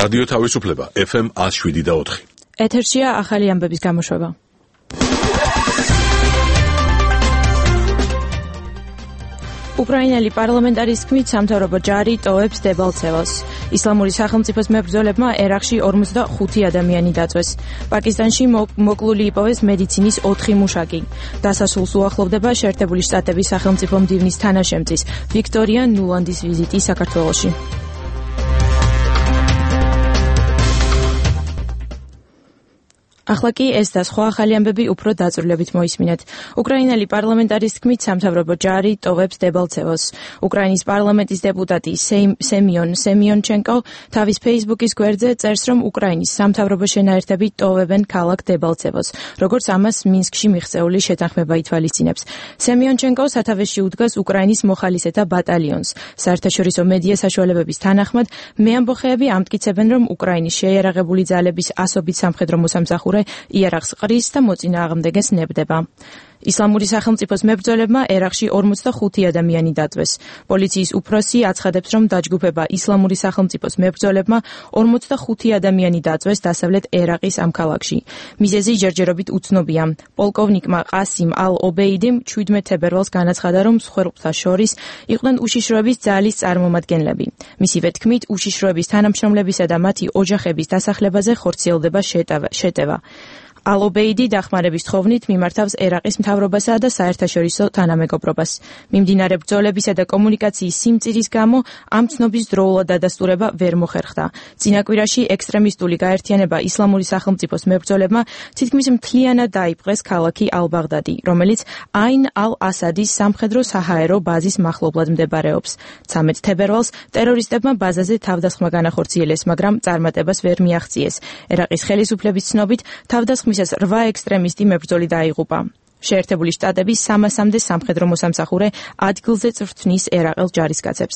რადიო თავისუფლება FM 107.4. ეთერშია ახალი ამბების გამოშვება. უკრაინელი პარლამენტარის თქმით სამთავრობო ჯარი ტოვებს დებალცევას. ისლამური სახელმწიფოს მებრძოლებმა ერაყში 45 ადამიანი დაწვეს. პაკისტანში მოკლული იპოვეს მედიცინის 4 მუშაკი. დასასრულს უახლოვდება შეერთებული შტატების სახელმწიფო მდივნის თანაშემწის ვიქტორია ნულანდის ვიზიტი საქართველოში. ახლა კი ეს და სხვა ახალი ამბები უფრო დაწვრილებით მოისმინეთ. უკრაინელი პარლამენტარის თქმით სამთავრობო ჯარი ტოვებს დებალცევას. უკრაინის პარლამენტის დეპუტატი სემიონ სემიონჩენკო თავის ფეისბუქის გვერდზე წერს, რომ უკრაინის სამთავრობო შენაერთები ტოვებენ ქალაქ დებალცევას, როგორც ამას მინსკში მიღწეული შეთანხმება ითვალისწინებს. სემიონჩენკო სათავეში უდგას უკრაინის მოხალისეთა ბატალიონს. საერთაშორისო მედია საშუალებების თანახმად, მეამბოხეები ამტკიცებენ, რომ უკრაინის შეიარაღებული ძალების ასობით სამხედრო მოსამსახურე იარაღს ყრის და მოწინააღმდეგეს ნებდება. ისლამური სახელმწიფოს მებრძოლებმა ერაყში 45 ადამიანი დაწვეს. პოლიციის უფროსი აცხადებს, რომ დაჯგუფება ისლამური სახელმწიფოს მებრძოლებმა 45 ადამიანი დაწვეს დასავლეთ ერაყის ამ ქალაქში. მიზეზი ჯერჯერობით უცნობია. პოლკოვნიკმა ყასიმ ალ-ობეიდიმ 17 თებერვალს განაცხადა, რომ მსხვერპლთა შორის იყვნენ უშიშროების ძალის წარმომადგენლები. მისივე თქმით, უშიშროების თანამშრომლებისა და მათი ოჯახების დასახლებაზე ხორციელდება შეტევა. ალ-ობეიდი დახმარების თხოვნით მიმართავს ერაყის მთავრობასა და საერთაშორისო თანამეგობრობას. მიმდინარე ბრძოლებისა და კომუნიკაციის სიმწირის გამო ამ ცნობის დროულად დადასტურება ვერ მოხერხდა. წინა კვირაში ექსტრემისტული გაერთიანება ისლამური სახელმწიფოს მებრძოლებმა თითქმის მთლიანად დაიპყრეს ქალაქი ალ-ბაღდადი, რომელიც აინ ალ-ასადის სამხედრო საჰაერო ბაზის მახლობლად მდებარეობს. 13 თებერვალს ტერორისტებმა ბაზაზე თავდასხმა განახორციელეს, მაგრამ წარმატებას ვერ მიაღწიეს. ერაყის ხელისუფლების ცნობით თავდასხმისას 8 ექსტრემისტი მებრძოლი დაიღუპა. შეერთებული შტატების 300-მდე სამხედრო მოსამსახურე ადგილზე წვრთნის ერაყელ ჯარისკაცებს.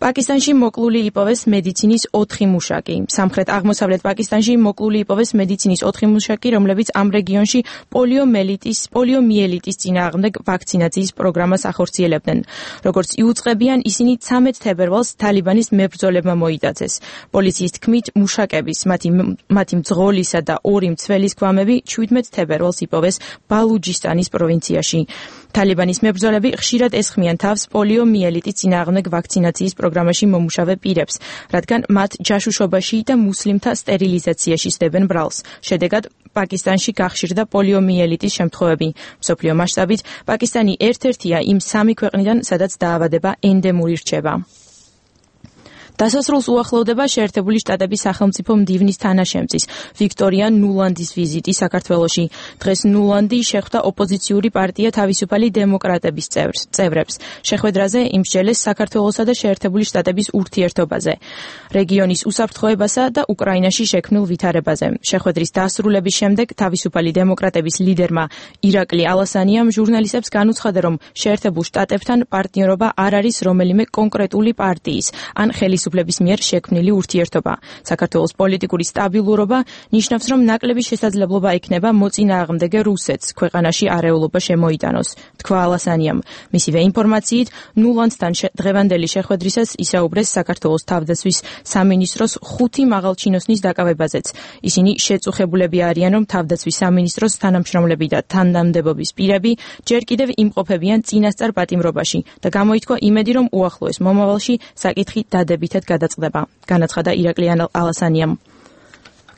პაკისტანში მოკლული იპოვეს მედიცინის 4 მუშაკი. სამხრეთ-აღმოსავლეთ პაკისტანში მოკლული იპოვეს მედიცინის 4 მუშაკი, რომლებიც ამ რეგიონში პოლიომიელიტის წინააღმდეგ ვაქცინაციის პროგრამას ახორციელებდნენ. როგორც იუწყებიან, ისინი 13 თებერვალს თალიბანის მებრძოლებმა მოიტაცეს. პოლიციის თქმით, მუშაკების, მათი მძღოლისა და 2 მცველის გვამები 17 თებერვალს იპოვეს ბალუჯისტანის პროვინციაში. თალიბანის მებრძოლები ხშირად ესხმიან თავს პოლიომიელიტის წინააღმდეგ ვაქცინაციის პროგრამაში მომუშავე პირებს, რადგან მათ ჯაშუშობაში და მუსლიმთა სტერილიზაციაში სდებენ ბრალს. შედეგად, პაკისტანში გახშირდა პოლიომიელიტის შემთხვევები. მსოფლიო მასშტაბით პაკისტანი ერთ-ერთია იმ 3 ქვეყნიდან, სადაც დაავადება ენდემური რჩება. დასასრულს უახლოვდება შეერთებული შტატების სახელმწიფო მდივნის თანაშემწის ვიქტორია ნულანდის ვიზიტი საქართველოში. დღეს ნულანდი შეხვდა ოპოზიციური პარტია თავისუფალი დემოკრატების წევრებს. შეხვედრაზე იმსჯელეს საქართველოსა და შეერთებული შტატების ურთიერთობაზე, რეგიონის უსაფრთხოებასა და უკრაინაში შექმნილ ვითარებაზე. შეხვედრის დასრულების შემდეგ თავისუფალი დემოკრატების ლიდერმა ირაკლი ალასანიამ ჟურნალისტებს განუცხადა, რომ შეერთებულ შტატებთან პარტნიორობა არ არის რომელიმე კონკრეტული პარტიის ან ხელისუფლების მიერ შექმნილი ურთიერთობა. საქართველოს პოლიტიკური სტაბილურობა ნიშნავს, რომ ნაკლები შესაძლებლობა ექნება მოწინააღმდეგე რუსეთს ქვეყანაში არეულობა შემოიტანოს, თქვა ალასანიამ. მისივე ინფორმაციით, ნულანდთან დღევანდელი შეხვედრისას ისაუბრეს საქართველოს თავდაცვის სამინისტროს 5 მაღალჩინოსნის დაკავებაზეც. ისინი შეწუხებულები არიან, რომ თავდაცვის სამინისტროს თანამშრომლები და თანამდებობის პირები ჯერ კიდევ იმყოფებიან წინასწარ პატიმრობაში და გამოითქვა იმედი, რომ უახლოეს მომავალში საკითხი დადებითად გადაწყდება, განაცხადა ირაკლი ალასანიამ.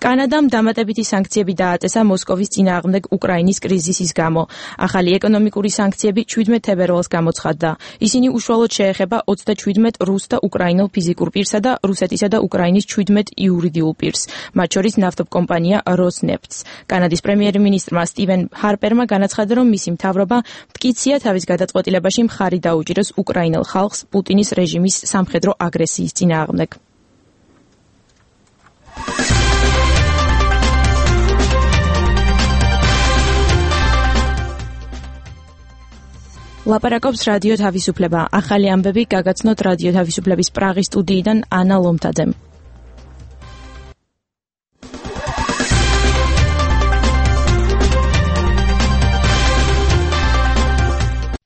კანადამ დამატებითი სანქციები დააწესა მოსკოვის წინააღმდეგ უკრაინის კრიზისის გამო. ახალი ეკონომიკური სანქციები 17 თებერვალს გამოცხადდა. ისინი უშუალოდ შეეხება 27 რუს და უკრაინელ ფიზიკურ პირსა და რუსეთისა და უკრაინის 17 იურიდიულ პირს, მათ შორის ნავთობკომპანია როსნეფტს. კანადის პრემიერ-მინისტრმა სტივენ ჰარპერმა განაცხადა, რომ მისი მთავრობა მტკიცია თავის გადაწყვეტილებაში მხარი დაუჭიროს უკრაინელ ხალხს პუტინის რეჟიმის სამხედრო აგრესიის წინააღმდეგ. ლაპარაკობს რადიო თავისუფლება. ახალი ამბები გაგაცნოთ რადიო თავისუფლების პრაღის სტუდიიდან ანა ლომთაძემ.